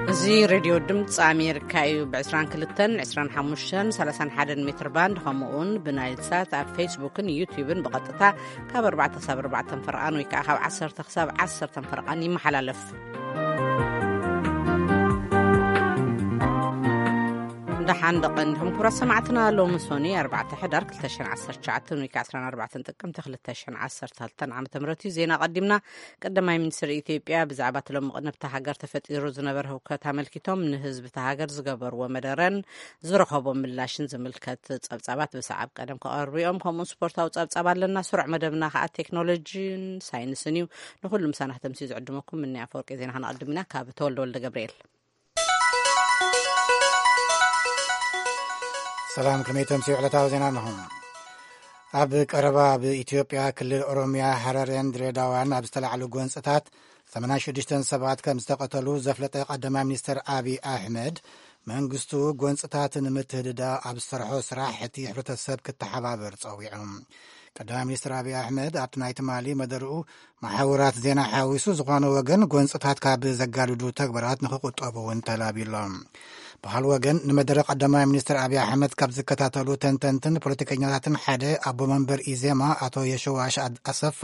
እዚ ሬድዮ ድምፂ ኣሜሪካ እዩ። ብ22፣ 25፣ 31 ሜትር ባንድ፣ ከምኡ እውን ብናይል ሳት ኣብ ፌስቡክን ዩቲዩብን ብቐጥታ ካብ ኣርባዕተ ክሳብ ኣርባዕተ ፈርቓን ወይ ከዓ ካብ ዓሰርተ ክሳብ ዓሰርተ ፈርቓን ይመሓላለፍ። ደሓን ደቐን ዲኹም ክቡራት ሰማዕትና። ሎሚ ሶኒ ኣርባዕተ ሕዳር ክልተ ሽሕን ዓሰርተ ትሽዓተን ወይ ከዓ ዕስራን ኣርባዕተን ጥቅምቲ ክልተ ሽሕን ዓሰርተ ክልተን ዓመተ ምህረት እዩ። ዜና ቀዲምና። ቀዳማይ ሚኒስትር ኢትዮጵያ ብዛዕባ እቲ ሎሚ ቅነ ኣብታ ሃገር ተፈጢሩ ዝነበረ ህውከት ኣመልኪቶም ንህዝቢ እታ ሃገር ዝገበርዎ መደረን ዝረኸቦ ምላሽን ዝምልከት ጸብጻባት ብሰዓብ ቀደም ክቐርቡ እዮም። ከምኡውን ስፖርታዊ ጸብጻብ ኣለና። ስሩዕ መደብና ከኣ ቴክኖሎጂን ሳይንስን እዩ። ንኹሉ ምሳና ከተምስዩ ዝዕድመኩም ምኒ ኣፈወርቂ። ዜና ከነቐድም ኢና ካብ ተወልደ ወልደ ገብርኤል። ሰላም፣ ከመይ ተምስዩ ዕለታዊ ዜና ኣለኹም። ኣብ ቀረባ ኣብ ኢትዮጵያ ክልል ኦሮሚያ ሃረሬን ድሬዳዋን ኣብ ዝተላዕሉ ጎንጽታት ሰማንያን ሽዱሽተን ሰባት ከም ዝተቐተሉ ዘፍለጠ ቀዳማይ ሚኒስትር ኣብይ ኣሕመድ፣ መንግስቱ ጎንጽታት ንምትህድዳ ኣብ ዝሰርሖ ስራሕ እቲ ሕብረተሰብ ክተሓባበር ጸዊዑ። ቀዳማይ ሚኒስትር ኣብይ ኣሕመድ ኣብቲ ናይ ትማሊ መደርኡ መሓውራት ዜና ሓዊሱ ዝኾነ ወገን ጎንጽታት ካብ ዘጋድዱ ተግባራት ንክቁጠቡ እውን ተላቢሎም። ብኻል ወገን ንመደረ ቀዳማይ ሚኒስትር ኣብይ ኣሕመድ ካብ ዝከታተሉ ተንተንትን ፖለቲከኛታትን ሓደ ኣቦ መንበር ኢዜማ ኣቶ የሸዋሽ ኣድ-፣ ኣሰፋ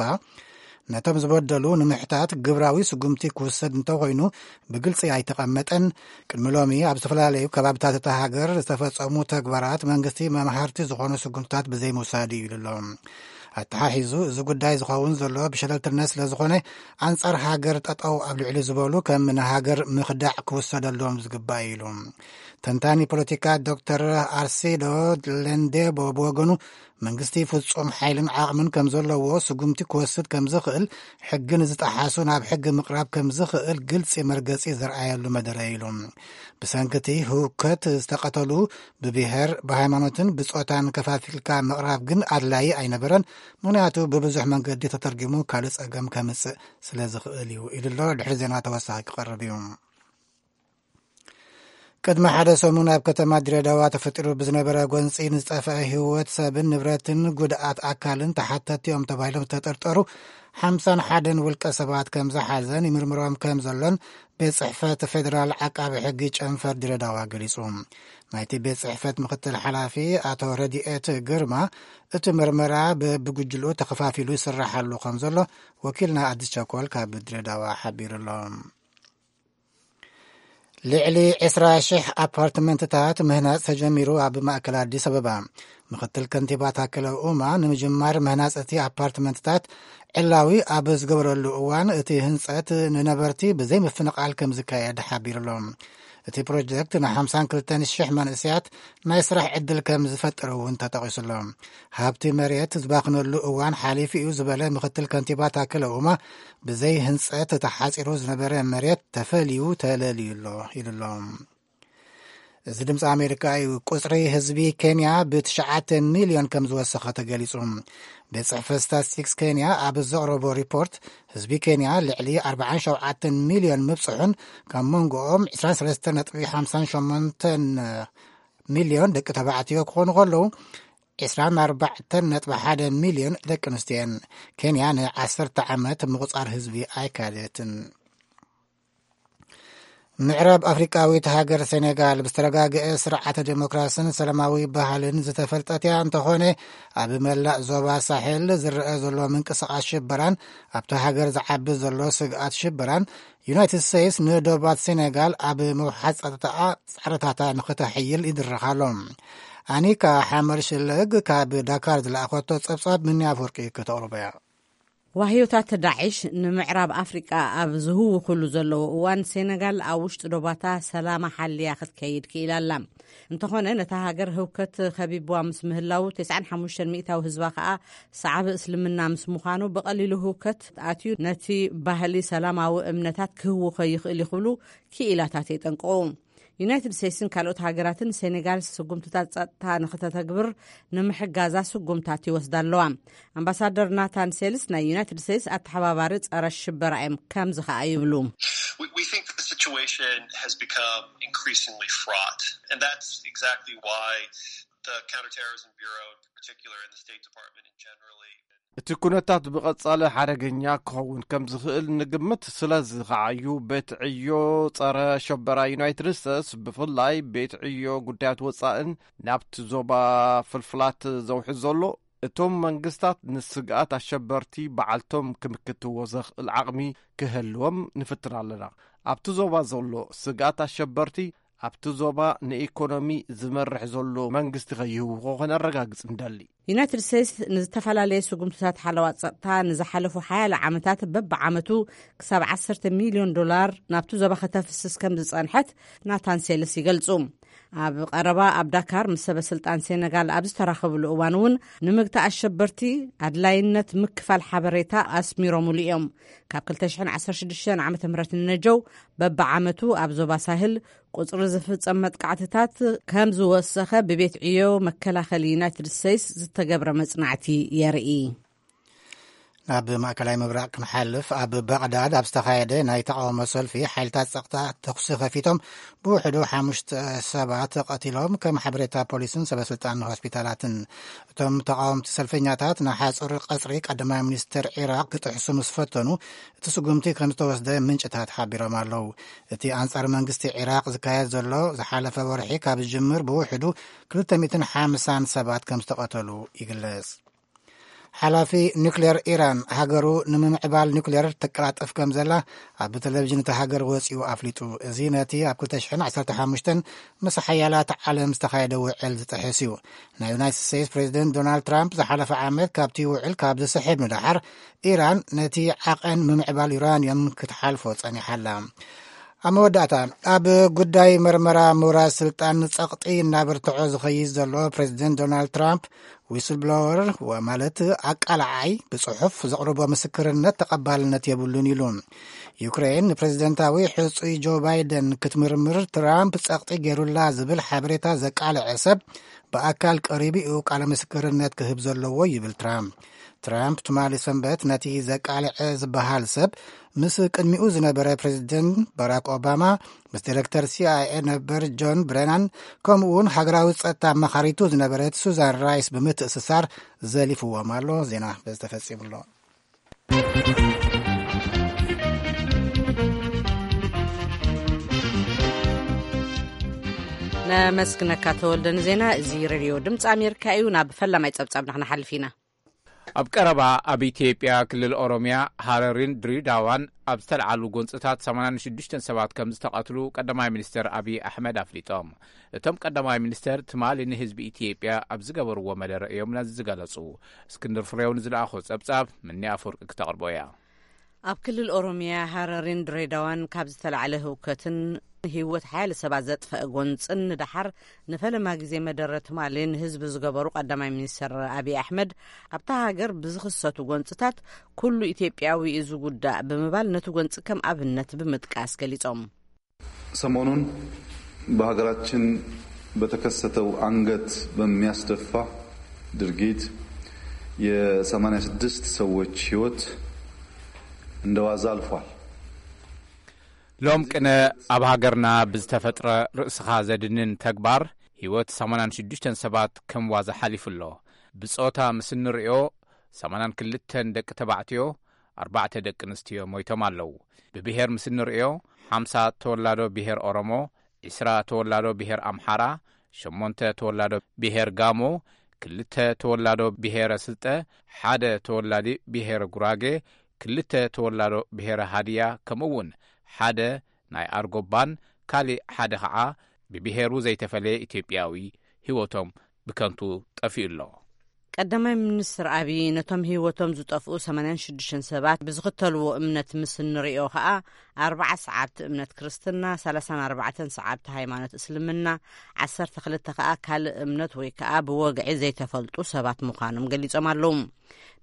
ነቶም ዝበደሉ ንምሕታት ግብራዊ ስጉምቲ ክውሰድ እንተኾይኑ ብግልጺ ኣይተቐመጠን። ቅድሚ ሎሚ ኣብ ዝተፈላለዩ ከባብታት እታ ሃገር ዝተፈጸሙ ተግባራት መንግስቲ መምሃርቲ ዝኾኑ ስጉምትታት ብዘይምውሳድ እዩ ኢሉ ኣሎ። ኣተሓሒዙ እዚ ጉዳይ ዝኸውን ዘሎ ብሸለልትነት ስለ ዝኾነ ኣንጻር ሃገር ጠጠው ኣብ ልዕሊ ዝበሉ ከም ንሃገር ምኽዳዕ ክውሰደሎም ዝግባእ እዩ ኢሉ። ተንታኒ ፖለቲካ ዶክተር ኣርሲዶ ለንዴቦ ብወገኑ መንግስቲ ፍጹም ሓይልን ዓቕምን ከም ዘለዎ ስጉምቲ ክወስድ ከም ዝኽእል ሕግን ዝጠሓሱ ናብ ሕጊ ምቕራብ ከም ዝኽእል ግልጺ መርገጺ ዘርኣየሉ መደረ ኢሉ። ብሰንክቲ ህውከት ዝተቐተሉ ብብሔር፣ ብሃይማኖትን ብጾታን ከፋፊልካ ምቕራብ ግን ኣድላዪ ኣይነበረን። ምኽንያቱ ብብዙሕ መንገዲ ተተርጊሙ ካልእ ጸገም ከምጽእ ስለ ዝኽእል እዩ ኢሉ ኣሎ። ድሕሪ ዜና ተወሳኺ ክቐርብ እዩ። ቅድሚ ሓደ ሰሙን ኣብ ከተማ ድሬዳዋ ተፈጢሩ ብዝነበረ ጎንጺ ንዝጠፍአ ህይወት ሰብን ንብረትን ጉድኣት ኣካልን ተሓተቲ እዮም ተባሂሎም ዝተጠርጠሩ ሓምሳን ሓደን ውልቀ ሰባት ከም ዝሓዘን ይምርምሮም ከም ዘሎን ቤት ጽሕፈት ፌደራል ዓቃቢ ሕጊ ጨንፈር ድሬዳዋ ገሊጹ። ናይቲ ቤት ጽሕፈት ምክትል ሓላፊ ኣቶ ረድኤት ግርማ፣ እቲ ምርመራ በብጉጅልኡ ተኸፋፊሉ ይስራሕ ኣሎ ከም ዘሎ ወኪልና ኣዲስ ቸኮል ካብ ድሬዳዋ ሓቢሩ ኣሎ። ልዕሊ ዕስራ ሽሕ ኣፓርትመንትታት ምህናጽ ተጀሚሩ። ኣብ ማእከል ኣዲስ ኣበባ ምክትል ከንቲባ ታከለ ኡማ ንምጅማር ምህናጽ እቲ ኣፓርትመንትታት ዕላዊ ኣብ ዝገበረሉ እዋን፣ እቲ ህንጸት ንነበርቲ ብዘይ ምፍንቓል ከም ዝካየድ ሓቢሩ ኣሎ። እቲ ፕሮጀክት ን ሓምሳን ክልተን ሽሕ መንእሰያት ናይ ስራሕ ዕድል ከም ዝፈጥር እውን ተጠቒሱ ኣሎ። ሃብቲ መሬት ዝባኽነሉ እዋን ሓሊፉ እዩ ዝበለ ምክትል ከንቲባ ታከለ ኡማ፣ ብዘይ ህንጸት ተሓጺሩ ዝነበረ መሬት ተፈልዩ ተለልዩ ኣሎ ኢሉ ኣሎ። እዚ ድምፂ ኣሜሪካ እዩ። ቁፅሪ ህዝቢ ኬንያ ብትሽዓተ ሚልዮን ከም ዝወሰኸ ተገሊፁ። ቤት ፅሕፈት ስታትስቲክስ ኬንያ ኣብ ዘቕረቦ ሪፖርት፣ ህዝቢ ኬንያ ልዕሊ ኣርባዓን ሸውዓተን ሚልዮን ምብፅሑን፣ ካብ መንጎኦም ዕስራን ሰለስተን ነጥቢ ሓምሳን ሸሞንተን ሚልዮን ደቂ ተባዕትዮ ክኾኑ ከለዉ፣ ዕስራን ኣርባዕተን ነጥቢ ሓደ ሚልዮን ደቂ ኣንስትዮ እየን። ኬንያ ንዓሰርተ ዓመት ምቑፃር ህዝቢ ኣይካደትን። ምዕራብ ኣፍሪቃዊት ሃገር ሴኔጋል ብዝተረጋገአ ስርዓተ ዴሞክራስን ሰላማዊ ባህልን ዝተፈልጠት እያ። እንተኾነ፣ ኣብ መላእ ዞባ ሳሕል ዝረአ ዘሎ ምንቅስቓስ ሽበራን ኣብቲ ሃገር ዝዓቢ ዘሎ ስግኣት ሽበራን፣ ዩናይትድ ስቴትስ ንዶባት ሴኔጋል ኣብ ምውሓስ ጸጥታኣ ጻዕርታታ ንኽተሕይል ይድረኽ ኣሎ። ኣኒካ ሓመር ሽለግ ካብ ዳካር ዝለኣኸቶ ጸብጻብ ምኒ ኣፍወርቂ ከተቕርቦ እያ። ዋህዮታት ዳዕሽ ንምዕራብ ኣፍሪቃ ኣብ ዝህውኹሉ ዘለዉ እዋን፣ ሴነጋል ኣብ ውሽጢ ዶባታ ሰላማ ሓልያ ክትከይድ ክኢላ ኣላ። እንተኾነ፣ ነታ ሃገር ህውከት ከቢብዋ ምስ ምህላዉ፣ ተስዓን ሓሙሽተን ሚእታዊ ህዝባ ከኣ ሰዓቢ እስልምና ምስ ምዃኑ፣ ብቐሊሉ ህውከት ኣትዩ ነቲ ባህሊ ሰላማዊ እምነታት ክህውኾ ይኽእል እዩ ክብሉ ክኢላታት የጠንቅቑ። ዩናይትድ ስቴትስን ካልኦት ሃገራትን ሴኔጋል ስጉምትታት ጸጥታ ንኽተተግብር ንምሕጋዛ ስጉምታት ይወስዳ ኣለዋ። ኣምባሳደር ናታን ሴልስ ናይ ዩናይትድ ስቴትስ ኣተሓባባሪ ጸረ ሽበራ እዮም። ከምዚ ኸኣ ይብሉ። We, we think that the situation has become increasingly fraught, and that's exactly why the Counterterrorism Bureau in particular and the State Department in generally እቲ ኩነታት ብቐጻሊ ሓደገኛ ክኸውን ከም ዝኽእል ንግምት። ስለዚ ከዓዩ ቤት ዕዮ ጸረ ሸበራ ዩናይትድ ስቴትስ፣ ብፍላይ ቤት ዕዮ ጉዳያት ወጻእን ናብቲ ዞባ ፍልፍላት ዘውሕዝ ዘሎ፣ እቶም መንግስታት ንስግኣት ኣሸበርቲ በዓልቶም ክምክትዎ ዘኽእል ዓቕሚ ክህልዎም ንፍትን ኣለና። ኣብቲ ዞባ ዘሎ ስግኣት ኣሸበርቲ ኣብቲ ዞባ ንኢኮኖሚ ዝመርሕ ዘሎ መንግስቲ ከይህውኾ ከነረጋግጽ ንደሊ። ዩናይትድ ስቴትስ ንዝተፈላለየ ስጉምትታት ሓለዋ ጸጥታ ንዝሓለፉ ሓያለ ዓመታት በብዓመቱ ክሳብ ዓሰርተ ሚልዮን ዶላር ናብቲ ዞባ ከተፍስስ ከም ዝጸንሐት ናታን ሴልስ ይገልጹ። ኣብ ቀረባ ኣብ ዳካር ምስ ሰበ ስልጣን ሴነጋል ኣብ ዝተራኸብሉ እዋን እውን ንምግታእ ኣሸበርቲ ኣድላይነት ምክፋል ሓበሬታ ኣስሚሮምሉ እዮም። ካብ ክልተ ሽሕን ዓሰርተ ሽዱሽተን ዓመተ ምህረት ንነጀው በብዓመቱ ኣብ ዞባ ሳህል ቁጽሪ ዝፍጸም መጥቃዕትታት ከም ዝወሰኸ ብቤት ዕዮ መከላኸሊ ዩናይትድ ስቴትስ ዝተገብረ መጽናዕቲ የርኢ። ናብ ማእከላይ ምብራቕ ክንሓልፍ፣ ኣብ ባቕዳድ ኣብ ዝተኻየደ ናይ ተቓውሞ ሰልፊ ሓይልታት ጸጥታ ተኹሲ ከፊቶም ብውሕዱ ሓሙሽተ ሰባት ቀቲሎም፣ ከም ሓበሬታ ፖሊስን ሰበስልጣን ሆስፒታላትን። እቶም ተቓወምቲ ሰልፈኛታት ንሓጹር ቀጽሪ ቀዳማይ ሚኒስተር ዒራቕ ክጥሕሱ ምስ ፈተኑ እቲ ስጉምቲ ከም ዝተወስደ ምንጭታት ሓቢሮም ኣለዉ። እቲ ኣንጻር መንግስቲ ዒራቕ ዝካየድ ዘሎ ዝሓለፈ ወርሒ ካብ ዝጅምር ብውሕዱ ክልተ ሚእትን ሓምሳን ሰባት ከም ዝተቐተሉ ይግለጽ። ሓላፊ ኒውክሌር ኢራን፣ ሃገሩ ንምምዕባል ኒውክሌር ትቀላጠፍ ከም ዘላ ኣብ ቴሌቪዥን እታ ሃገር ወጺኡ ኣፍሊጡ። እዚ ነቲ ኣብ ክልተ ሽሕን ዓሰርተ ሓሙሽተን ምስ ሓያላት ዓለም ዝተኻየደ ውዕል ዝጥሕስ እዩ። ናይ ዩናይትድ ስቴትስ ፕሬዚደንት ዶናልድ ትራምፕ ዝሓለፈ ዓመት ካብቲ ውዕል ካብ ዝስሕብ ንደሓር፣ ኢራን ነቲ ዓቐን ምምዕባል ዩራንየም ክትሓልፎ ጸኒሓ ኣላ። ኣብ መወዳእታ፣ ኣብ ጉዳይ መርመራ ምውራድ ስልጣን ጸቕጢ እናበርትዖ ዝኸይድ ዘሎ ፕሬዚደንት ዶናልድ ትራምፕ፣ ዊስል ብሎወር ማለት ኣቃላዓይ፣ ብጽሑፍ ዘቕርቦ ምስክርነት ተቐባልነት የብሉን ኢሉ። ዩክሬን ንፕሬዚደንታዊ ሕጹይ ጆ ባይደን ክትምርምር ትራምፕ ጸቕጢ ገይሩላ ዝብል ሓበሬታ ዘቃልዐ ሰብ ብኣካል ቀሪቡ እዩ ቃለ ምስክርነት ክህብ ዘለዎ ይብል ትራምፕ። ትራምፕ ትማሊ ሰንበት ነቲ ዘቃልዐ ዝበሃል ሰብ ምስ ቅድሚኡ ዝነበረ ፕሬዚደንት ባራክ ኦባማ፣ ምስ ዲሬክተር ሲ ኣይ ኤ ነበር ጆን ብረናን፣ ከምኡ እውን ሃገራዊ ጸጥታ ኣማኻሪቱ ዝነበረት ሱዛን ራይስ ብምትእስሳር ዘሊፍዎም ኣሎ። ዜና በዚ ተፈጺሙ ኣሎ። ነመስግነካ ተወልደ ንዜና። እዚ ሬድዮ ድምፂ ኣሜሪካ እዩ። ናብ ፈላማይ ጸብጻብና ክንሓልፍ ኢና። ኣብ ቀረባ ኣብ ኢትዮጵያ ክልል ኦሮሚያ ሃረሪን ድሬዳዋን ኣብ ዝተልዓሉ ጎንፅታት ሰማንያን ሽዱሽተን ሰባት ከም ዝተቐትሉ ቀዳማይ ሚኒስትር ኣብይ ኣሕመድ ኣፍሊጦም። እቶም ቀዳማይ ሚኒስትር ትማሊ ንህዝቢ ኢትዮጵያ ኣብ ዝገበርዎ መደረ እዮም ነዚ ዝገለጹ። እስክንድር ፍሬው ንዝለኣኾ ጸብጻብ ምኒ ኣፈወርቂ ክተቕርቦ እያ። ኣብ ክልል ኦሮሚያ ሃረሪን ድሬዳዋን ካብ ዝተላዕለ ህውከትን ህይወት ሓያለ ሰባት ዘጥፈአ ጎንጽን ንደሓር ንፈለማ ግዜ መደረ ትማሊ ንህዝቢ ዝገበሩ ቀዳማይ ሚኒስትር ኣብይ ኣሕመድ፣ ኣብታ ሃገር ብዝኽሰቱ ጎንጽታት ኩሉ ኢትዮጵያዊ እዩ ዝጉዳእ ብምባል ነቲ ጎንጺ ከም ኣብነት ብምጥቃስ ገሊጾም። ሰሞኑን በሀገራችን በተከሰተው አንገት በሚያስደፋ ድርጊት የሰማንያ ስድስት ሰዎች ህይወት እንደ ዋዛ አልፏል። ሎም ቅነ ኣብ ሃገርና ብዝተፈጥረ ርእስኻ ዘድንን ተግባር ህይወት ሰማንያን ሽዱሽተን ሰባት ከም ዋዛ ሓሊፉ ኣሎ። ብጾታ ምስ እንርእዮ ሰማንያን ክልተን ደቂ ተባዕትዮ፣ ኣርባዕተ ደቂ ኣንስትዮ ሞይቶም ኣለዉ። ብብሄር ምስ እንርእዮ ሓምሳ ተወላዶ ብሄር ኦሮሞ፣ ዕስራ ተወላዶ ብሄር ኣምሓራ፣ ሸሞንተ ተወላዶ ብሄር ጋሞ፣ ክልተ ተወላዶ ብሄረ ስልጠ፣ ሓደ ተወላዲ ብሄረ ጉራጌ፣ ክልተ ተወላዶ ብሄረ ሃድያ፣ ከምኡ እውን ሓደ ናይ ኣርጎባን ካሊእ ሓደ ኸዓ ብብሄሩ ዘይተፈለየ ኢትዮጵያዊ ህይወቶም ብከንቱ ጠፊኡ ኣሎ። ቀዳማይ ሚኒስትር ኣብይ ነቶም ህይወቶም ዝጠፍኡ ሰማንያን ሽዱሽተን ሰባት ብዝኽተልዎ እምነት ምስ እንርእዮ ኸኣ ኣርብዓ ሰዓብቲ እምነት ክርስትና፣ ሰላሳን ኣርባዕተን ሰዓብቲ ሃይማኖት እስልምና፣ ዓሰርተ ክልተ ኸኣ ካልእ እምነት ወይ ከኣ ብወግዒ ዘይተፈልጡ ሰባት ምዃኖም ገሊጾም ኣለዉ።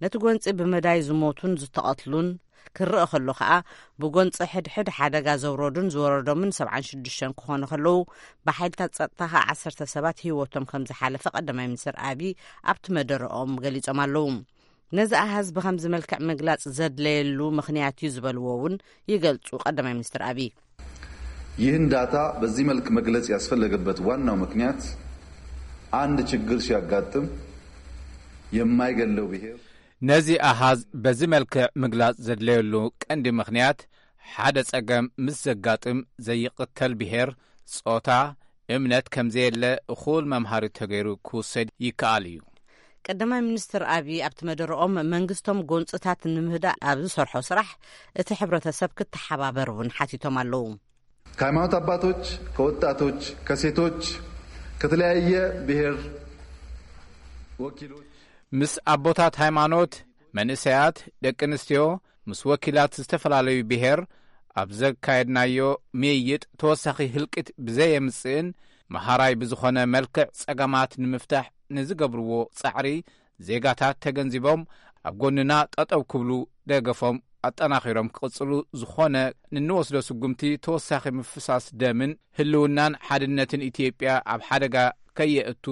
ነቲ ጎንጺ ብመዳይ ዝሞቱን ዝተቐትሉን ክረአ ከሎ ኸኣ ብጎንጺ ሕድሕድ ሓደጋ ዘውረዱን ዝወረዶምን ሰብዓን ሽዱሽተን ክኾኑ ከለዉ ብሓይልታት ጸጥታ ኸኣ ዓሰርተ ሰባት ህይወቶም ከም ዝሓለፈ ቀዳማይ ሚኒስትር ኣብይ ኣብቲ መደረኦም ገሊጾም ኣለዉ። ነዚ ኣሃዝ ብኸምዚ መልክዕ ምግላጽ ዘድለየሉ ምኽንያት እዩ ዝበልዎ እውን ይገልጹ ቀዳማይ ሚኒስትር ኣብይ። ይህን ዳታ በዚህ መልክ መግለጽ ያስፈለገበት ዋናው ምክንያት አንድ ችግር ሲያጋጥም የማይገለው ብሔር ነዚ ኣሃዝ በዚ መልክዕ ምግላጽ ዘድለየሉ ቀንዲ ምኽንያት፣ ሓደ ጸገም ምስ ዘጋጥም ዘይቕተል ብሄር፣ ጾታ፣ እምነት ከም ዘየለ እኹል መምሃሪ ተገይሩ ክውሰድ ይከኣል እዩ። ቀዳማይ ሚኒስትር ኣብይ ኣብቲ መደረኦም መንግስቶም ጎንፅታት ንምህዳእ ኣብ ዝሰርሖ ስራሕ እቲ ሕብረተሰብ ክተሓባበር እውን ሓቲቶም ኣለዉ። ከሃይማኖት አባቶች፣ ከወጣቶች፣ ከሴቶች፣ ከተለያየ ብሔር ወኪሎች ምስ ኣቦታት ሃይማኖት፣ መንእሰያት፣ ደቂ ኣንስትዮ፣ ምስ ወኪላት ዝተፈላለዩ ብሔር ኣብ ዘካየድናዮ ምይይጥ ተወሳኺ ህልቂት ብዘየምጽእን መሃራይ ብዝኾነ መልክዕ ጸገማት ንምፍታሕ ንዝገብርዎ ጻዕሪ ዜጋታት ተገንዚቦም ኣብ ጎንና ጠጠው ክብሉ ደገፎም ኣጠናኺሮም ክቕጽሉ ዝኾነ ንንወስዶ ስጉምቲ ተወሳኺ ምፍሳስ ደምን ህልውናን ሓድነትን ኢትዮጵያ ኣብ ሓደጋ ከየእቱ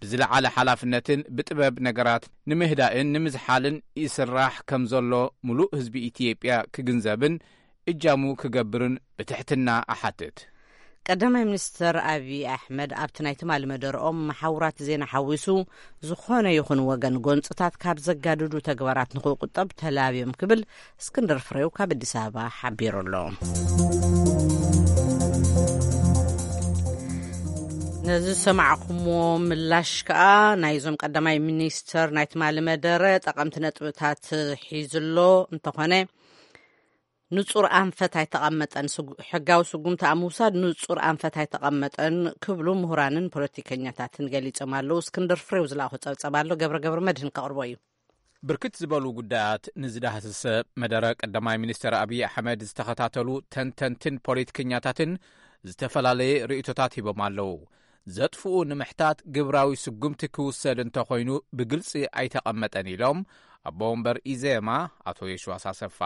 ብዝለዓለ ሓላፍነትን ብጥበብ ነገራት ንምህዳእን ንምዝሓልን ይስራሕ ከም ዘሎ ምሉእ ህዝቢ ኢትዮጵያ ክግንዘብን እጃሙ ክገብርን ብትሕትና እሓትት። ቀዳማይ ሚኒስትር ኣብይ ኣሕመድ ኣብቲ ናይ ትማሊ መደርኦም መሓውራት ዜና ሓዊሱ ዝኾነ ይኹን ወገን ጎንፅታት ካብ ዘጋድዱ ተግባራት ንክቁጠብ ተላብዮም ክብል እስክንድር ፍሬው ካብ ኣዲስ ኣበባ ሓቢሩ ኣሎ። ነዚ ዝሰማዕኩምዎ ምላሽ ከኣ ናይዞም ቀዳማይ ሚኒስትር ናይ ትማሊ መደረ ጠቐምቲ ነጥብታት ሒዙ ኣሎ። እንተኾነ ንጹር ኣንፈት ኣይተቐመጠን፣ ሕጋዊ ስጉምቲ ኣብ ምውሳድ ንጹር ኣንፈት ኣይተቐመጠን ክብሉ ምሁራንን ፖለቲከኛታትን ገሊጾም ኣለዉ። እስክንድር ፍሬው ዝለኣኾ ጸብጸብ ኣሎ፣ ገብረ ገብረ መድህን ከቕርቦ እዩ። ብርክት ዝበሉ ጉዳያት ንዝዳህስሰ መደረ ቀዳማይ ሚኒስትር ኣብይ ኣሕመድ ዝተኸታተሉ ተንተንትን ፖለቲከኛታትን ዝተፈላለየ ርእይቶታት ሂቦም ኣለዉ። ዘጥፍኡ ንምሕታት ግብራዊ ስጉምቲ ክውሰድ እንተኾይኑ ብግልጺ ኣይተቐመጠን ኢሎም ኣቦ ወንበር ኢዜማ ኣቶ የሽዋስ ኣሰፋ።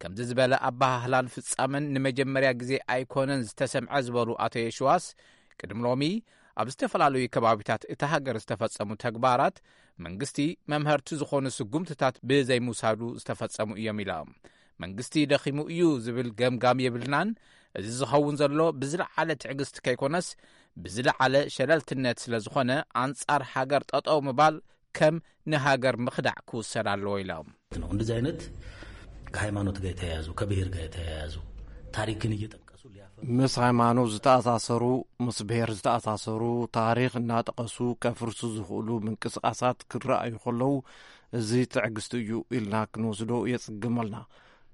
ከምዚ ዝበለ ኣበሃህላን ፍጻመን ንመጀመርያ ግዜ ኣይኮነን ዝተሰምዐ ዝበሉ ኣቶ የሽዋስ፣ ቅድሚ ሎሚ ኣብ ዝተፈላለዩ ከባቢታት እታ ሃገር ዝተፈጸሙ ተግባራት መንግስቲ መምሀርቲ ዝኾኑ ስጉምትታት ብዘይምውሳዱ ዝተፈጸሙ እዮም ኢሎም። መንግስቲ ደኺሙ እዩ ዝብል ገምጋም የብልናን። እዚ ዝኸውን ዘሎ ብዝለዓለ ትዕግስቲ ከይኮነስ ብዝለዓለ ሸለልትነት ስለ ዝኾነ ኣንጻር ሃገር ጠጠው ምባል ከም ንሃገር ምኽዳዕ ክውሰድ ኣለዎ ኢሎም። ነው። እንደዚህ አይነት ከሃይማኖት ጋር የተያያዙ ከብሔር ጋር የተያያዙ ታሪክን እየጠቀሱ ሊያፈ ምስ ሃይማኖት ዝተኣሳሰሩ፣ ምስ ብሔር ዝተኣሳሰሩ፣ ታሪኽ እናጠቐሱ ከፍርሱ ዝኽእሉ ምንቅስቓሳት ክረኣዩ ከለዉ፣ እዚ ትዕግስቲ እዩ ኢልና ክንወስዶ የጽግመልና።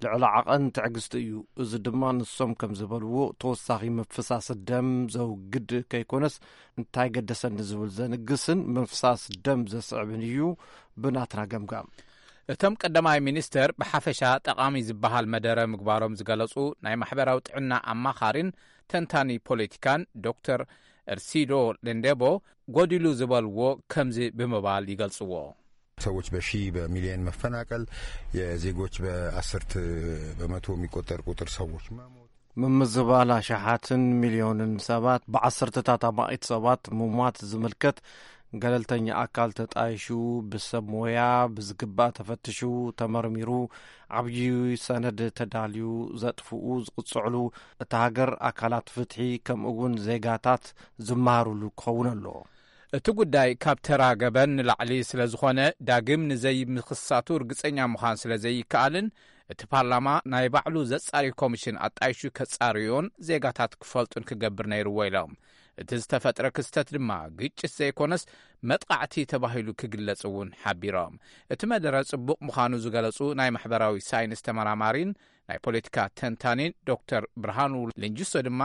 ልዕሊ ዓቐን ትዕግስቲ እዩ። እዚ ድማ ንሶም ከም ዝበልዎ ተወሳኺ ምፍሳስ ደም ዘውግድ ከይኮነስ እንታይ ገደሰኒ ዝብል ዘንግስን ምፍሳስ ደም ዘስዕብን እዩ ብናትና ገምጋም። እቶም ቀዳማይ ሚኒስተር ብሓፈሻ ጠቓሚ ዝበሃል መደረ ምግባሮም ዝገለጹ ናይ ማሕበራዊ ጥዕና ኣማኻሪን ተንታኒ ፖለቲካን ዶክተር እርሲዶ ለንዴቦ ጎዲሉ ዝበልዎ ከምዚ ብምባል ይገልጽዎ። ሰዎች በሺ በሚሊዮን መፈናቀል፣ የዜጎች በአስርት በመቶ የሚቆጠር ቁጥር ሰዎች መሞት። ምምዝባል ኣሽሓትን ሚልዮንን ሰባት ብዓሰርተታት ኣማኢት ሰባት ምሟት ዝምልከት ገለልተኛ ኣካል ተጣይሹ ብሰብ ሞያ ብዝግባእ ተፈትሹ ተመርሚሩ ዓብዪ ሰነድ ተዳልዩ ዘጥፍኡ ዝቕፅዕሉ እታ ሃገር ኣካላት ፍትሒ ከምኡ እውን ዜጋታት ዝመሃሩሉ ክኸውን ኣለዎ። እቲ ጉዳይ ካብ ተራ ገበን ንላዕሊ ስለ ዝኾነ ዳግም ንዘይምኽሳቱ ርግጸኛ ምዃን ስለ ዘይከኣልን እቲ ፓርላማ ናይ ባዕሉ ዘጻሪ ኮሚሽን ኣጣይሹ ከጻርዮን ዜጋታት ክፈልጡን ክገብር ነይርዎ ኢሎም። እቲ ዝተፈጥረ ክስተት ድማ ግጭት ዘይኮነስ መጥቓዕቲ ተባሂሉ ክግለጽ እውን ሓቢሮም። እቲ መደረ ጽቡቕ ምዃኑ ዝገለጹ ናይ ማሕበራዊ ሳይንስ ተመራማሪን ናይ ፖለቲካ ተንታኒን ዶክተር ብርሃኑ ልንጅሶ ድማ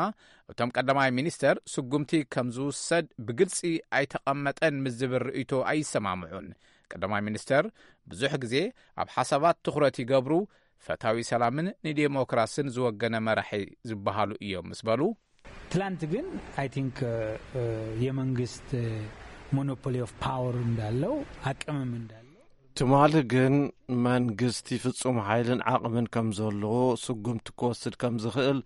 እቶም ቀዳማይ ሚኒስተር ስጉምቲ ከም ዝውሰድ ብግልጺ ኣይተቐመጠን ምስ ዝብል ርእይቶ ኣይሰማምዑን። ቀዳማይ ሚኒስተር ብዙሕ ግዜ ኣብ ሓሳባት ትኹረት ይገብሩ፣ ፈታዊ ሰላምን ንዴሞክራስን ዝወገነ መራሒ ዝበሃሉ እዮም ምስ በሉ፣ ትላንት ግን I think የመንግስት monopoly of power እንዳለው አቅምም እንዳለው ትማሊ ግን መንግስቲ ፍጹም ሓይልን ዓቕምን ከም ዘለዎ ስጉምቲ ክወስድ ከም ዝኽእል፣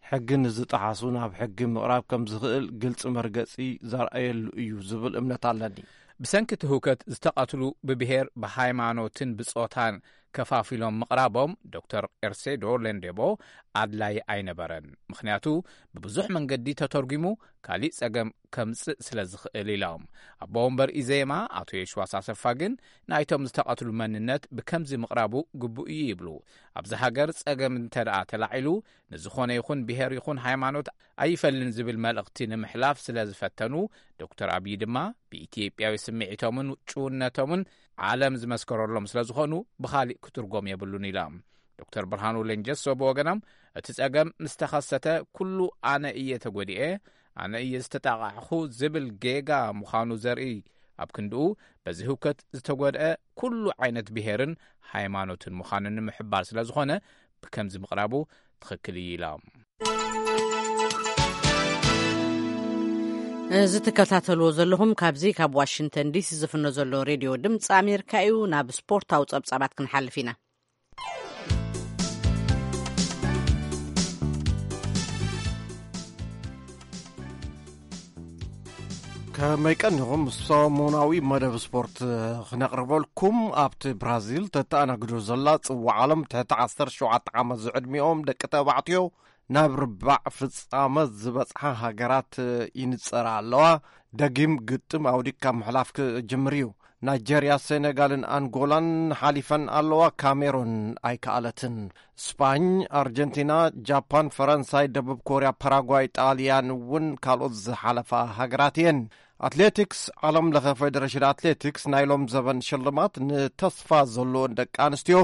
ሕጊ ንዝጠሓሱ ናብ ሕጊ ምቕራብ ከም ዝኽእል ግልጺ መርገጺ ዘርኣየሉ እዩ ዝብል እምነት ኣለኒ። ብሰንኪ እቲ ህውከት ዝተቐትሉ ብብሄር ብሃይማኖትን ብጾታን ከፋፊሎም ምቕራቦም ዶክተር ኤርሴዶ ሌንዴቦ ኣድላይ ኣይነበረን። ምኽንያቱ ብብዙሕ መንገዲ ተተርጒሙ ካሊእ ጸገም ከምጽእ ስለ ዝኽእል ኢሎም። ኣቦ ወንበር ኢዜማ ኣቶ የሽዋስ ኣሰፋ ግን ናይቶም ዝተቐትሉ መንነት ብከምዚ ምቕራቡ ግቡእ እዩ ይብሉ። ኣብዚ ሃገር ጸገም እንተ ደኣ ተላዒሉ ንዝኾነ ይኹን ብሄር ይኹን ሃይማኖት ኣይፈልን ዝብል መልእኽቲ ንምሕላፍ ስለ ዝፈተኑ፣ ዶክተር ኣብይ ድማ ብኢትዮጵያዊ ስምዒቶምን ጭውነቶምን ዓለም ዝመስከረሎም ስለ ዝኾኑ ብኻሊእ ክትርጎም የብሉን ኢሎም። ዶክተር ብርሃኑ ሌንጀሶ ብወገኖም፣ እቲ ጸገም ምስ ተኸሰተ ኩሉ ኣነ እየ ተጎዲኤ፣ ኣነ እየ ዝተጣቓዕኹ ዝብል ጌጋ ምዃኑ ዘርኢ ኣብ ክንድኡ፣ በዚ ህውከት ዝተጎድአ ኩሉ ዓይነት ብሄርን ሃይማኖትን ምዃኑ ንምሕባር ስለ ዝኾነ ብከምዚ ምቕራቡ ትኽክል እዩ ኢሎም። እዚ ትከታተልዎ ዘለኹም ካብዚ ካብ ዋሽንግተን ዲሲ ዝፍኖ ዘሎ ሬድዮ ድምፂ ኣሜሪካ እዩ። ናብ ስፖርታዊ ጸብጻባት ክንሓልፍ ኢና። ከመይ ቀኒኹም? ሰሙናዊ መደብ ስፖርት ክነቕርበልኩም፣ ኣብቲ ብራዚል ተተኣናግዶ ዘላ ጽዋዕ ዓለም ትሕቲ ዓሰርተ ሸውዓተ ዓመት ዝዕድሚኦም ደቂ ተባዕትዮ ናብ ርባዕ ፍጻመ ዝበጽሓ ሃገራት ይንጸራ ኣለዋ። ደጊም ግጥም ኣውዲቕካ ምሕላፍ ክጅምር እዩ። ናይጀርያ፣ ሴኔጋልን ኣንጎላን ሓሊፈን ኣለዋ። ካሜሩን ኣይከኣለትን። ስፓኝ፣ ኣርጀንቲና፣ ጃፓን፣ ፈረንሳይ፣ ደቡብ ኮርያ፣ ፓራጓይ፣ ጣልያን እውን ካልኦት ዝሓለፋ ሃገራት እየን። ኣትሌቲክስ፣ ዓለም ለኸ ፌደሬሽን ኣትሌቲክስ ናይ ሎም ዘበን ሽልማት ንተስፋ ዘለዎን ደቂ ኣንስትዮ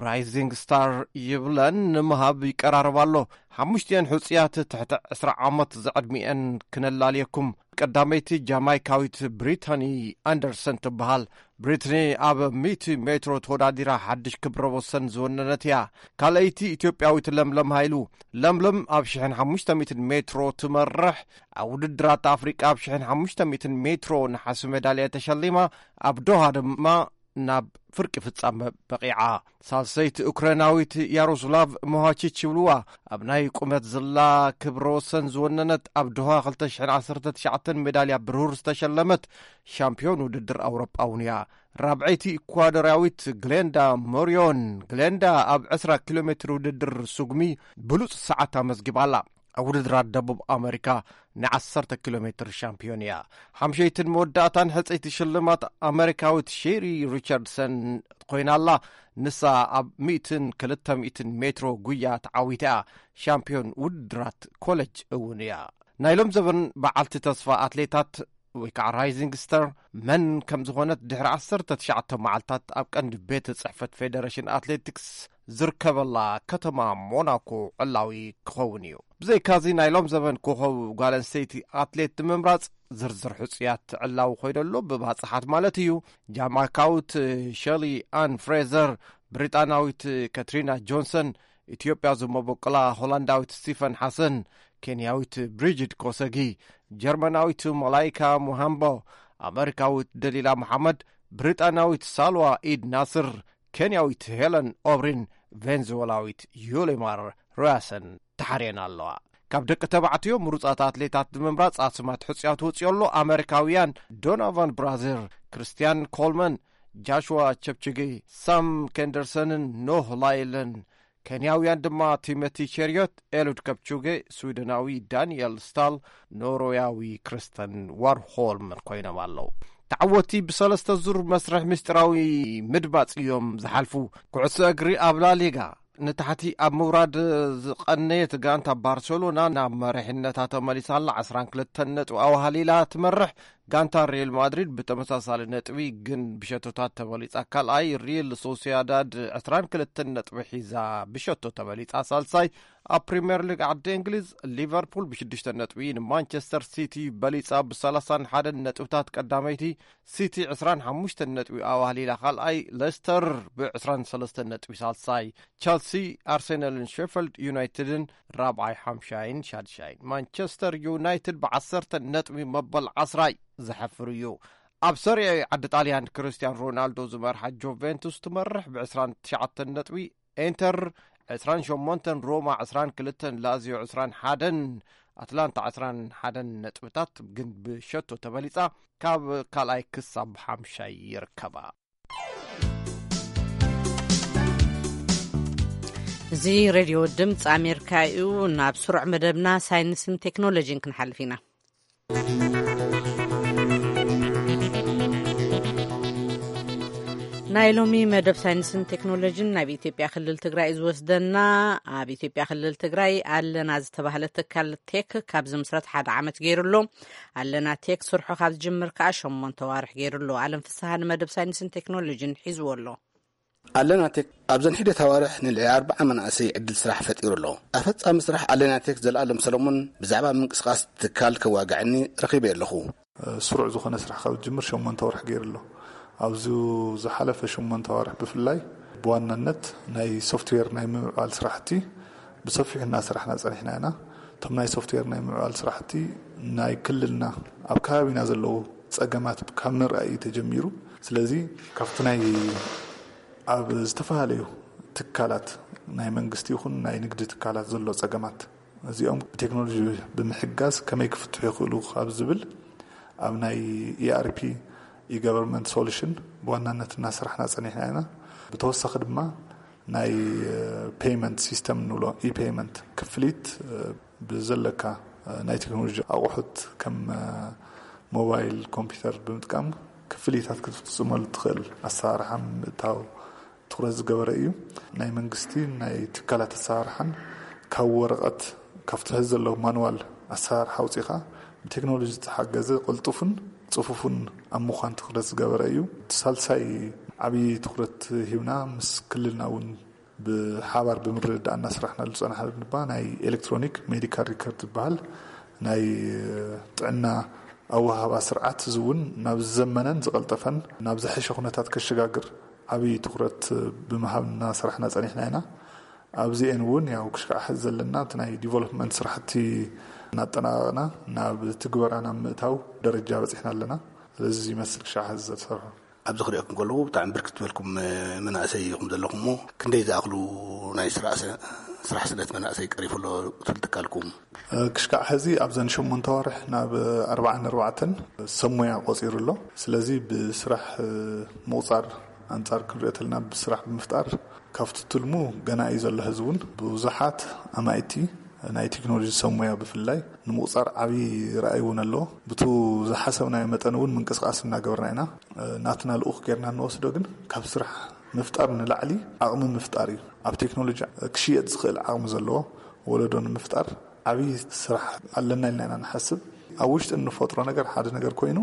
ራይዚንግ ስታር ይብለን ንምሃብ ይቀራረብ ኣሎ። ሓሙሽቲኤን ሕጹያት ትሕቲ ዕስራ ዓመት ዝዕድሚኤን ክነላልየኩም። ቀዳመይቲ ጃማይካዊት ብሪታኒ ኣንደርሰን ትበሃል። ብሪትኒ ኣብ ሚእቲ ሜትሮ ተወዳዲራ ሓድሽ ክብረ ወሰን ዝወነነት እያ። ካልኣይቲ ኢትዮጵያዊት ለምለም ሃይሉ። ለምለም ኣብ ሽሕን ሓሙሽተ ሚእትን ሜትሮ ትመርሕ። ኣብ ውድድራት ኣፍሪቃ ኣብ ሽሕን ሓሙሽተ ሚእትን ሜትሮ ነሓሲ ሜዳልያ ተሸሊማ። ኣብ ዶሃ ድማ ናብ ፍርቂ ፍጻመ በቒዓ። ሳልሰይቲ ኡክራይናዊት ያሮስላቭ ሞሃቺች ይብልዋ። ኣብ ናይ ቁመት ዝላ ክብረ ወሰን ዝወነነት፣ ኣብ ዶሃ ክልተ ሽሕን ዓሰርተ ትሽዓተን ሜዳልያ ብሩር ዝተሸለመት ሻምፒዮን ውድድር ኣውሮጳ እውን እያ። ራብዐይቲ ኢኳዶርያዊት ግሌንዳ ሞሪዮን። ግሌንዳ ኣብ ዕስራ ኪሎ ሜትር ውድድር ሱግሚ ብሉጽ ሰዓት ኣመዝጊባ ኣላ። ኣብ ውድድራት ደቡብ ኣመሪካ ንዓሰርተ ኪሎ ሜትር ሻምፒዮን እያ። ሓምሸይትን መወዳእታን ሕጽይቲ ሽልማት ኣመሪካዊት ሼሪ ሪቻርድሰን ኮይና ኣላ። ንሳ ኣብ ሚእትን ክልተ ሚእትን ሜትሮ ጉያ ተዓዊታ እያ ሻምፒዮን ውድድራት ኮለጅ እውን እያ። ናይ ሎም ዘበን በዓልቲ ተስፋ ኣትሌታት ወይ ከዓ ራይዚንግ ስተር መን ከም ዝኾነት ድሕሪ ዓሰርተ ትሽዓተ መዓልታት ኣብ ቀንዲ ቤት ጽሕፈት ፌደሬሽን ኣትሌቲክስ ዝርከበላ ከተማ ሞናኮ ዕላዊ ክኸውን እዩ። ብዘይካዚ ናይ ሎም ዘበን ኮኸብ ጓል ኣንስተይቲ ኣትሌት ንምምራጽ ዝርዝር ሕጹያት ዕላዊ ኮይደሎ ብባጽሓት ማለት እዩ። ጃማይካዊት ሸሊ ኣን ፍሬዘር፣ ብሪጣናዊት ከትሪና ጆንሰን፣ ኢትዮጵያ ዝመበቆላ ሆላንዳዊት ስቲፈን ሓሰን፣ ኬንያዊት ብሪጅድ ኮሰጊ፣ ጀርመናዊት መላይካ ሙሃምቦ፣ ኣመሪካዊት ደሊላ መሓመድ፣ ብሪጣናዊት ሳልዋ ኢድ ናስር፣ ኬንያዊት ሄለን ኦብሪን ቬንዙዌላዊት ዩሊማር ሮያሰን ተሓርየን ኣለዋ። ካብ ደቂ ተባዕትዮ ምሩጻት ኣትሌታት ንምምራጽ ኣስማት ሕጹያት ወጺኦ ኣሎ። ኣመሪካውያን ዶናቫን ብራዘር፣ ክርስቲያን ኮልመን፣ ጃሽዋ ቸፕችጌ፣ ሳም ኬንደርሰንን ኖህ ላይልን፣ ኬንያውያን ድማ ቲሞቲ ቸሪዮት፣ ኤሉድ ከፕቹጌ፣ ስዊደናዊ ዳንኤል ስታል፣ ኖርወያዊ ክሪስተን ዋርሆልምን ኮይኖም ኣለዉ። ተዓወቲ ብሰለስተ ዙር መስርሕ ምስጢራዊ ምድማፅ እዮም ዝሓልፉ። ኩዕሶ እግሪ ኣብ ላሊጋ ንታሕቲ ኣብ ምውራድ ዝቐነየት ጋንታ ባርሴሎና ናብ መሪሕነታ ተመሊሳ ኣላ። ዓስራን ክልተን ነጥቢ ኣዋሃሊላ ትመርሕ። ጋንታ ሪል ማድሪድ ብተመሳሳሊ ነጥቢ ግን ብሸቶታት ተበሊጻ ካልኣይ፣ ሪል ሶሲያዳድ ዕስራን ክልተን ነጥቢ ሒዛ ብሸቶ ተበሊጻ ሳልሳይ፣ ኣብ ፕሪምየር ሊግ ዓዲ እንግሊዝ ሊቨርፑል ብሽዱሽተ ነጥቢ ንማንቸስተር ሲቲ በሊጻ ብሰላሳን ሓደን ነጥብታት ቀዳመይቲ፣ ሲቲ ዕስራን ሓሙሽተን ነጥቢ ኣዋህሊላ ካልኣይ፣ ሌስተር ብዕስራን ሰለስተን ነጥቢ ሳልሳይ፣ ቸልሲ፣ ኣርሰናልን ሼፈልድ ዩናይትድን ራብዓይ፣ ሓምሻይን ሻድሻይን። ማንቸስተር ዩናይትድ ብዓሰርተ ነጥቢ መበል ዓስራይ ዝሓፍር እዩ። ኣብ ሰሪኤ ዓዲ ጣልያን ክርስቲያን ሮናልዶ ዝመርሓ ጁቬንቱስ ትመርሕ ብዕስራን ትሽዓተን ነጥቢ፣ ኢንተር ዕስራን ሸሞንተን፣ ሮማ ዕስራን ክልተን፣ ላዚዮ ዕስራን ሓደን፣ ኣትላንታ ዕስራን ሓደን ነጥብታት ግን ብሸቶ ተበሊጻ ካብ ካልኣይ ክሳብ ሓምሻይ ይርከባ። እዚ ሬድዮ ድምፂ ኣሜሪካ እዩ። ናብ ስሩዕ መደብና ሳይንስን ቴክኖሎጂን ክንሓልፍ ኢና። ናይ ሎሚ መደብ ሳይንስን ቴክኖሎጂን ናብ ኢትዮጵያ ክልል ትግራይ እዩ ዝወስደና። ኣብ ኢትዮጵያ ክልል ትግራይ ኣለና ዝተባህለ ትካል ቴክ ካብ ዝምስረት ሓደ ዓመት ገይሩ ኣሎ። ኣለና ቴክ ስርሑ ካብ ዝጅምር ከዓ ሸሞንተ ዋርሕ ገይሩ ኣሎ። ኣለም ፍስሃ ንመደብ ሳይንስን ቴክኖሎጂን ሒዝዎ ኣሎ። ኣለና ቴክ ኣብዘን ሒደት ኣዋርሕ ንልዕሊ ኣርብዓ መናእሰይ ዕድል ስራሕ ፈጢሩ ኣሎ። ኣፈጻሚ ስራሕ ኣለና ቴክ ዘለኣለም ሰለሙን ብዛዕባ ምንቅስቃስ ትካል ከዋግዐኒ ረኺበ ኣለኹ። ስሩዕ ዝኾነ ስራሕ ካብ ዝጅምር ሸሞንተ ወርሒ ገይሩ ኣሎ። ኣብዚ ዝሓለፈ ሸሞንተ ኣዋርሕ ብፍላይ ብዋናነት ናይ ሶፍትዌር ናይ ምምዕባል ስራሕቲ ብሰፊሑ እናሰራሕና ጸኒሕና ኢና። እቶም ናይ ሶፍትዌር ናይ ምምዕባል ስራሕቲ ናይ ክልልና ኣብ ከባቢና ዘለዉ ጸገማት ካብ ምርኣይ እዩ ተጀሚሩ። ስለዚ ካብቲ ናይ ኣብ ዝተፈላለዩ ትካላት ናይ መንግስቲ ይኹን ናይ ንግዲ ትካላት ዘሎ ጸገማት እዚኦም ብቴክኖሎጂ ብምሕጋዝ ከመይ ክፍትሑ ይኽእሉ ካብ ዝብል ኣብ ናይ E R P፣ e-government solution ብዋናነት እናሰራሕና ጸኒሕና ኢና። ብተወሳኺ ድማ ናይ ፔይመንት ሲስተም ንብሎ፣ e-payment ክፍሊት ብዘለካ ናይ ቴክኖሎጂ ኣቑሑት ከም ሞባይል ኮምፒውተር ብምጥቃም ክፍሊታት ክትፍጽመሉ ትኽእል ኣሰራርሓ ምእታው ትኹረት ዝገበረ እዩ። ናይ መንግስቲ ናይ ትካላት ኣሰራርሓን ካብ ወረቐት ካብቲ ሕዚ ዘሎ ማንዋል ኣሰራርሓ ኣውፂኻ ብቴክኖሎጂ ዝተሓገዘ ቅልጡፍን ጽፉፍን ኣብ ምዃን ትኹረት ዝገበረ እዩ። እቲ ሳልሳይ ዓብዪ ትኹረት ሂብና ምስ ክልልና እውን ብሓባር ብምርድዳእ እናሰራሕናሉ ዝጸናሕና ድማ ናይ ኤሌክትሮኒክ ሜዲካል ሪከርድ ዝበሃል ናይ ጥዕና ኣወሃህባ ስርዓት፣ እዚ እውን ናብ ዝዘመነን ዝቐልጠፈን ናብ ዝሐሸ ኩነታት ከሸጋግር ዓብዪ ትኹረት ብምሃብ እናሰራሕና ጸኒሕና ኢና። ኣብዚኤን እውን ያው ክሽካዕ ዘለና እቲ ናይ ዲቨሎፕመንት ስራሕቲ እናጠናቐቕና ናብ ትግበራ ናብ ምእታው ደረጃ በፂሕና ኣለና። ስለዚ ይመስል ክሻዕ ዝተሰርሑ። ኣብዚ ክሪኦኩም ከለኹ ብጣዕሚ ብርክት ዝበልኩም መናእሰይ ኢኹም ዘለኹም እሞ ክንደይ ዝኣኽሉ ናይ ስራሕ ስነ- ስራሕ ስነት መናእሰይ ቀሪፉ ኣሎ ትብል ትካልኩም? ክሽካዕ ሕዚ ኣብዘን ሸሞንተ ዋርሕ ናብ ኣርባዓን ኣርባዕተን ሰብ ሞያ ቆፂሩ ኣሎ። ስለዚ ብስራሕ ምቑፃር ኣንፃር ክንሪኦ ተልና ብስራሕ ብምፍጣር ካብቲ ትልሙ ገና እዩ ዘሎ። ሕዚ እውን ብዙሓት ኣማይቲ ናይ ቴክኖሎጂ ሰብ ሞያ ብፍላይ ንምቑፃር ዓብዪ ራእይ እውን ኣሎ። ብቱ ዝሓሰብናዮ መጠን እውን ምንቅስቃስ እናገበርና ኢና። ናትና ልኡኽ ጌርና እንወስዶ ግን ካብ ስራሕ ምፍጣር ንላዕሊ ዓቕሚ ምፍጣር እዩ። ኣብ ቴክኖሎጂ ክሽየጥ ዝኽእል ዓቕሚ ዘለዎ ወለዶ ንምፍጣር ዓብዪ ስራሕ ኣለና ኢልና ኢና ንሓስብ። ኣብ ውሽጢ እንፈጥሮ ነገር ሓደ ነገር ኮይኑ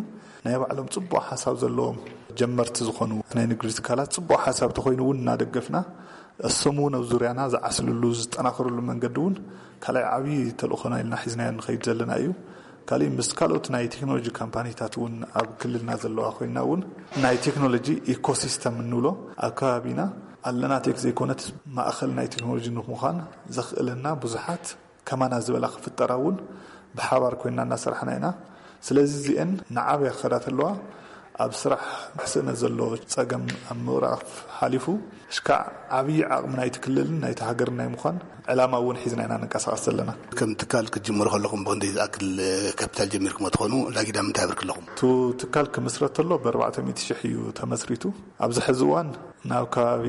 ናይ ባዕሎም ፅቡቕ ሓሳብ ዘለዎም ጀመርቲ ዝኾኑ ናይ ንግዲ ትካላት ፅቡቕ ሓሳብ ተኮይኑ እውን እናደገፍና እሶም እውን ኣብ ዙርያና ዝዓስልሉ ዝጠናኸርሉ መንገዲ እውን ካልኣይ ዓብዪ ተልእኾና ኢልና ሒዝናዮ ንኸይድ ዘለና እዩ። ካሊእ ምስ ካልኦት ናይ ቴክኖሎጂ ካምፓኒታት እውን ኣብ ክልልና ዘለዋ ኮይና እውን ናይ ቴክኖሎጂ ኢኮሲስተም እንብሎ ኣብ ከባቢና ኣለና ቴክ ዘይኮነት ማእኸል ናይ ቴክኖሎጂ ንምዃን ዘኽእለና ብዙሓት ከማና ዝበላ ክፍጠራ እውን ብሓባር ኮይና እናሰራሕና ኢና። ስለዚ እዚአን ንዓብያ ክኸዳ ተለዋ ኣብ ስራሕ ስእነት ዘሎ ፀገም ኣብ ምቕራፍ ሓሊፉ እሽካዕ ዓብዪ ዓቕሚ ናይቲ ክልልን ናይቲ ሃገርን ናይ ምዃን ዕላማ እውን ሒዝና ኢና ንንቀሳቐስ ዘለና። ከም ትካል ክትጅምሩ ከለኹም ብክንደይ ዝኣክል ካፒታል ጀሚርኩም ትኾኑ? ላጊዳ ምንታይ ኣብርክ ኣለኹም? እቲ ትካል ክምስረት ተሎ ብ ኣርባዕተ ሚእቲ ሽሕ እዩ ተመስሪቱ። ኣብዚ ሕዚ እዋን ናብ ከባቢ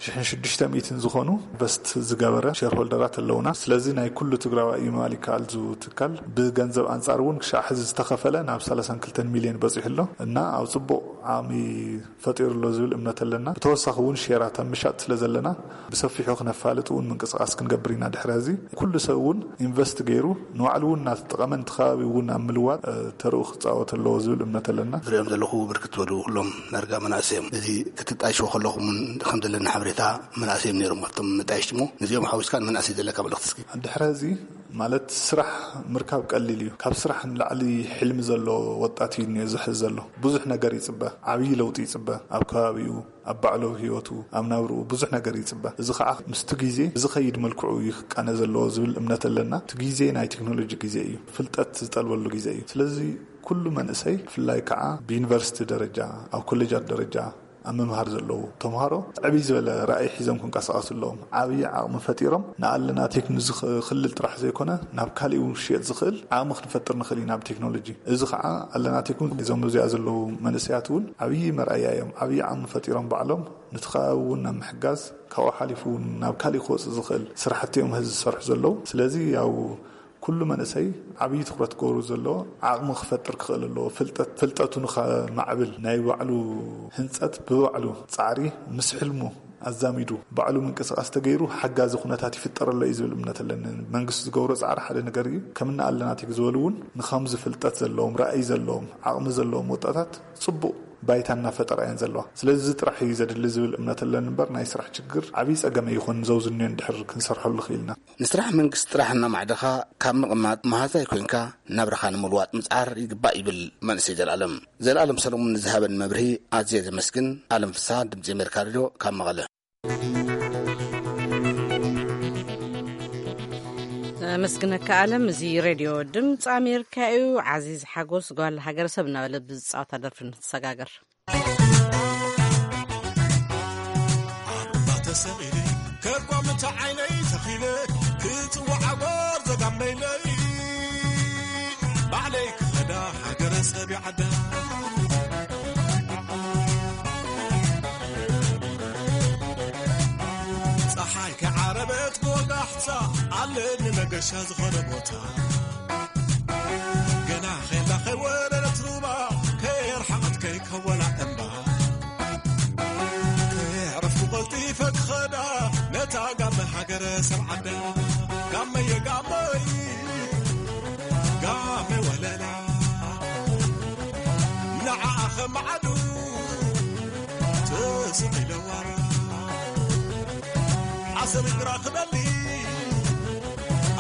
ሽሕን ሽዱሽተ ሚእትን ዝኾኑ ኢንቨስት ዝገበረ ሼርሆልደራት ኣለውና። ስለዚ ናይ ኩሉ ትግራዋይ እዩ ምባል ይከኣል። ዙ ትካል ብገንዘብ ኣንጻር እውን ክሻዕ ሕዚ ዝተኸፈለ ናብ ሰላሳን ክልተን ሚልዮን በፂሑ ኣሎ እና ኣብ ፅቡቕ ዓቕሚ ፈጢሩ ኣሎ ዝብል እምነት ኣለና። ብተወሳኺ እውን ሼራት ኣብ ምሻጥ ስለ ዘለና ብሰፊሑ ክነፋልጥ እውን ምንቅስቃስ ክንገብር ኢና። ድሕሪ ሕዚ ኩሉ ሰብ እውን ኢንቨስት ገይሩ ንባዕሉ እውን እናተጠቐመ ነቲ ከባቢ እውን ኣብ ምልዋጥ ተርኡ ክፃወት ኣለዎ ዝብል እምነት ኣለና። ዝሪኦም ዘለኹ ብርክት ዝበሉ ኩሎም ዳርጋ መናእሰይ እዮም። እዚ ክትጣይሽዎ ከለኹም እውን ከም ዘለና ሓበሬታ መናእሰይ እዮም ነይሮም ኣብቶም መጣየሽቲ እሞ ነዚኦም ሓዊስካ ንመናእሰይ ዘለካ መልእኽቲ እስኪ። ድሕሪ ሕዚ ማለት ስራሕ ምርካብ ቀሊል እዩ። ካብ ስራሕ ንላዕሊ ሕልሚ ዘሎ ወጣት እዩ እኒኦ ዝሕዝ ዘሎ። ብዙሕ ነገር ይፅበ፣ ዓብዪ ለውጢ ይፅበ ኣብ ከባቢኡ ኣብ ባዕሉ ህይወቱ ኣብ ናብርኡ ብዙሕ ነገር ይፅበ። እዚ ከዓ ምስቲ ግዜ ብዝኸይድ መልክዑ እዩ ክቃነ ዘለዎ ዝብል እምነት ኣለና። እቲ ግዜ ናይ ቴክኖሎጂ ግዜ እዩ፣ ፍልጠት ዝጠልበሉ ግዜ እዩ። ስለዚ ኩሉ መንእሰይ ብፍላይ ከዓ ብዩኒቨርሲቲ ደረጃ ኣብ ኮሌጃት ደረጃ ኣብ ምምሃር ዘለዉ ተምሃሮ ዕብይ ዝበለ ራእይ ሒዞም ክንቀሳቐሱ ኣለዎም። ዓብዪ ዓቕሚ ፈጢሮም ንኣለና ቴክኖሎጂ ክልል ጥራሕ ዘይኮነ ናብ ካሊእ እውን ክሽየጥ ዝኽእል ዓቕሚ ክንፈጥር ንኽእል ኢና ብቴክኖሎጂ። እዚ ከዓ ኣለና ቴክኖሎጂ እዞም እዚኣ ዘለዉ መንእሰያት እውን ዓብዪ መርኣያ እዮም። ዓብዪ ዓቕሚ ፈጢሮም ባዕሎም ንቲ ከባቢ እውን ናብ ምሕጋዝ ካብኡ ሓሊፉ እውን ናብ ካሊእ ክወፅእ ዝኽእል ስራሕቲ እዮም ህዚ ዝሰርሑ ዘለዉ። ስለዚ ያው ኩሉ መንእሰይ ዓብዪ ትኹረት ክገብሩ ዘለዎ ዓቕሚ ክፈጥር ክኽእል ኣለዎ። ፍልጠት ፍልጠቱ ንኸማዕብል ናይ ባዕሉ ህንፀት ብባዕሉ ፃዕሪ ምስ ሕልሙ ኣዛሚዱ ባዕሉ ምንቅስቃስ ተገይሩ ሓጋዚ ኩነታት ይፍጠረሎ እዩ ዝብል እምነት ኣለኒ። መንግስቲ ዝገብሮ ፃዕሪ ሓደ ነገር እዩ። ከምና ኣለና ቴክ ዝበሉ እውን ንኸምዚ ፍልጠት ዘለዎም ራእይ ዘለዎም ዓቕሚ ዘለዎም ወጣታት ፅቡቕ ባይታ እናፈጠራ እየን ዘለዋ። ስለዚ እዚ ጥራሕ እዩ ዘድሊ ዝብል እምነት ኣለኒ እምበር ናይ ስራሕ ችግር ዓብዪ ፀገም ኣይኾን ዘውዝንዮ እንድሕር ክንሰርሐሉ ክኢልና። ንስራሕ መንግስቲ ጥራሕ እናማዕደኻ ካብ ምቕማጥ መሃዛይ ኮይንካ ናብራኻ ንምልዋጥ ምጽዓር ይግባእ ይብል መንእሰይ ዘላለም። ዘላለም ሰለሙን ንዝሃበን መብርሂ ኣዝየ ዘመስግን። ኣለም ፍስሃ፣ ድምጺ ኣሜሪካ ሬድዮ ካብ መቐለ። ኣመስግነካ ኣለም። እዚ ሬድዮ ድምፂ ኣሜሪካ እዩ። ዓዚዝ ሓጎስ ጓል ሃገረሰብ እናበለ ብዝፃወታ ደርፊ ንሰጋገር። ኣባ ተሰቒለ ከቋምቲ ዓይነይ ተኺለ ክጽዋዕ ኣጎር ዘጋመይለይ ባዕለይ ክኸዳ ሃገረ ሰብ ይዓዳ። ጸሓይ ከዓረበት ክወጋሕታ ኣለኒ መገሻ ዝኾነ ቦታ። ገና ኼላ ከይወረደት ሩባ ከየርሓቐት ከይከወላ እምባ። ከየዕረፍኩ ቀልጢፈ ክኸዳ ነታ ጋመ ሃገረ ሰብ ዓዳ። ጋመየ ጋመይ ጋመ ወለላ ንዓኣ ኸማዕዱ ተስቕ ኢለዋ። ዓሰብ እግራ ክበሊ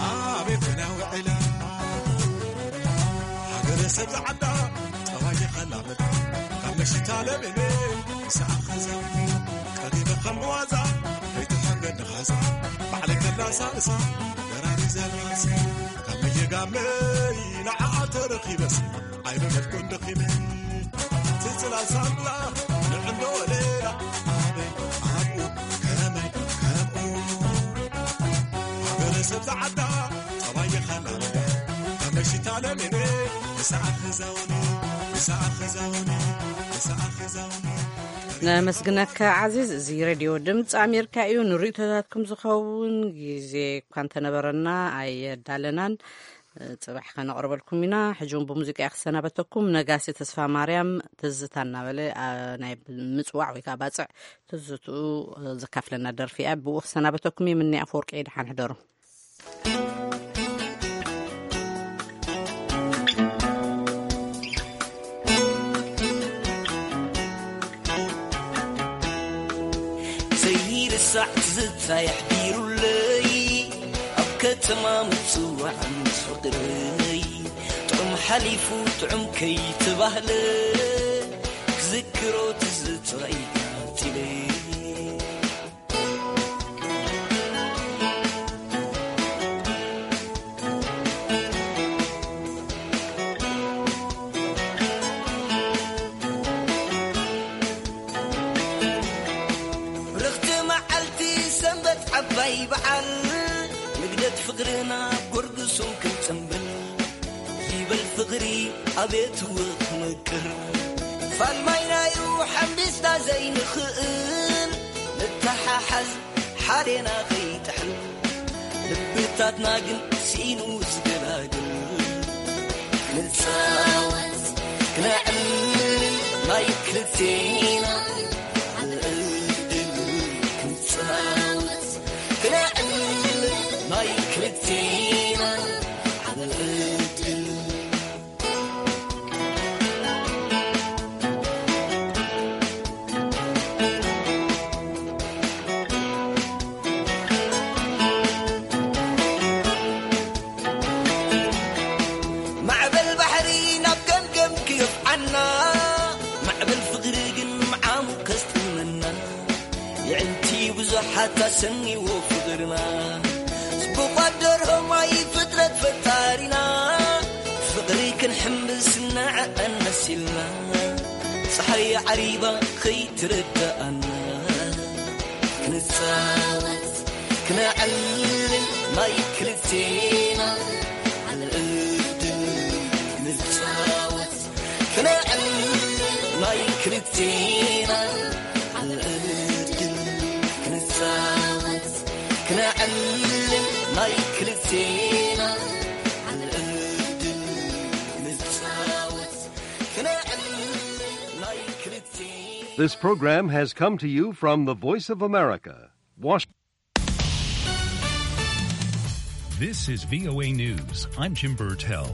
ኣቤት ናውዕላ ሃገረ ሰብ ዝዓዳ ጠባይ የኸላመዳ ካብ መሽታ ለምነ ሰኣኸዛ ቀሪበ ከም ዋዛ ከይትሓንገድ ንኻዛ ባዕለይ ከላሳ እሳ ደራሪ ዘላሲ ካብ መየጋመይ ንዓኣ ተረኺበስ ኣይበለድኩን ደኺመ ትጽላ ሳምላ ንዕንዶ ወለላ ኣበይ ኣብኡ ከመይ ከምኡ ሃገረ ሰብ ዝዓዳ ጠባይ የኸላመዳ ካብ መሽታ ለምነ ንሰኣኸዛውኒ ንሰኣኸዛውኒ ንሰኣኸዛውኒ ነመስግነካ ዓዚዝ። እዚ ሬድዮ ድምፂ ኣሜሪካ እዩ። ንርእይቶታትኩም ዝኸውን ግዜ እኳ እንተነበረና ኣየዳለናን። ጽባሕ ከነቕርበልኩም ኢና። ሕጂ እውን ብሙዚቃ ክሰናበተኩም። ነጋሲ ተስፋ ማርያም ትዝታ እናበለ፣ ኣ፣ ናይ ምጽዋዕ ወይ ከዓ ባጽዕ ትዝትኡ ዘካፍለና ደርፊ እያ። ብኡ ክሰናበተኩም እየ። ምኒ ኣፈወርቂ፣ ደሓን ሕደሩ። ዘይርሳዕ ትዝታ የሕዲሩለይ ኣብ ከተማ ምጽዋዕ ምስ ፍቕረይ ጥዑም ሓሊፉ ጥዑም ከይተባህለ ክዝክሮ ትዝታይ ቀጺለ። ብርኽቲ መዓልቲ ሰንበት ዓባይ በዓል ንግደት ፍቕርና ጎርግሱም ክንጽምብል ይበል ፍቕሪ ኣቤት ውቕ ምቅር ፋልማይናዩ ሓምቢስና ዘይንኽእል ንተሓሓዝ ሓዴና ከይጥሕል ልብታትና ግን ስኢኑ ዝገላግል ንጻወት ክነዕልል ናይ ክልቴና ዕድል ክንጻወት ክነዕልል ናይ ክልቴና ዕድል ማዕበል ባሕሪ ናብ ገምገም ክገፍዓና ማዕበል ፍቕሪ ግን ምዓሙ ከስጥመና የዕንቲ ብዙሓት ኣሰኒዎ ፍቕርና ጽቡቓት ደርሆ ማይ ፍጥረት ፈጣሪና ፍቕሪ ክንሕምብስ ንዐ ኣነሲልና ጸሓይ ዓሪባ ከይትረዳኣና ክንጻወት ክነዕልል ናይ ክልቴና ዕድል ክንጻወት ክነዕልል ናይ ክልቴና ዕድል ክንጻወት ክነዕልል ናይ ክልቴና ዕድል ክንጻወት ክነዕልል ናይ ክልቴና This program has come to you from the Voice of America, Washington. This is V O A News. I'm Jim Burtell.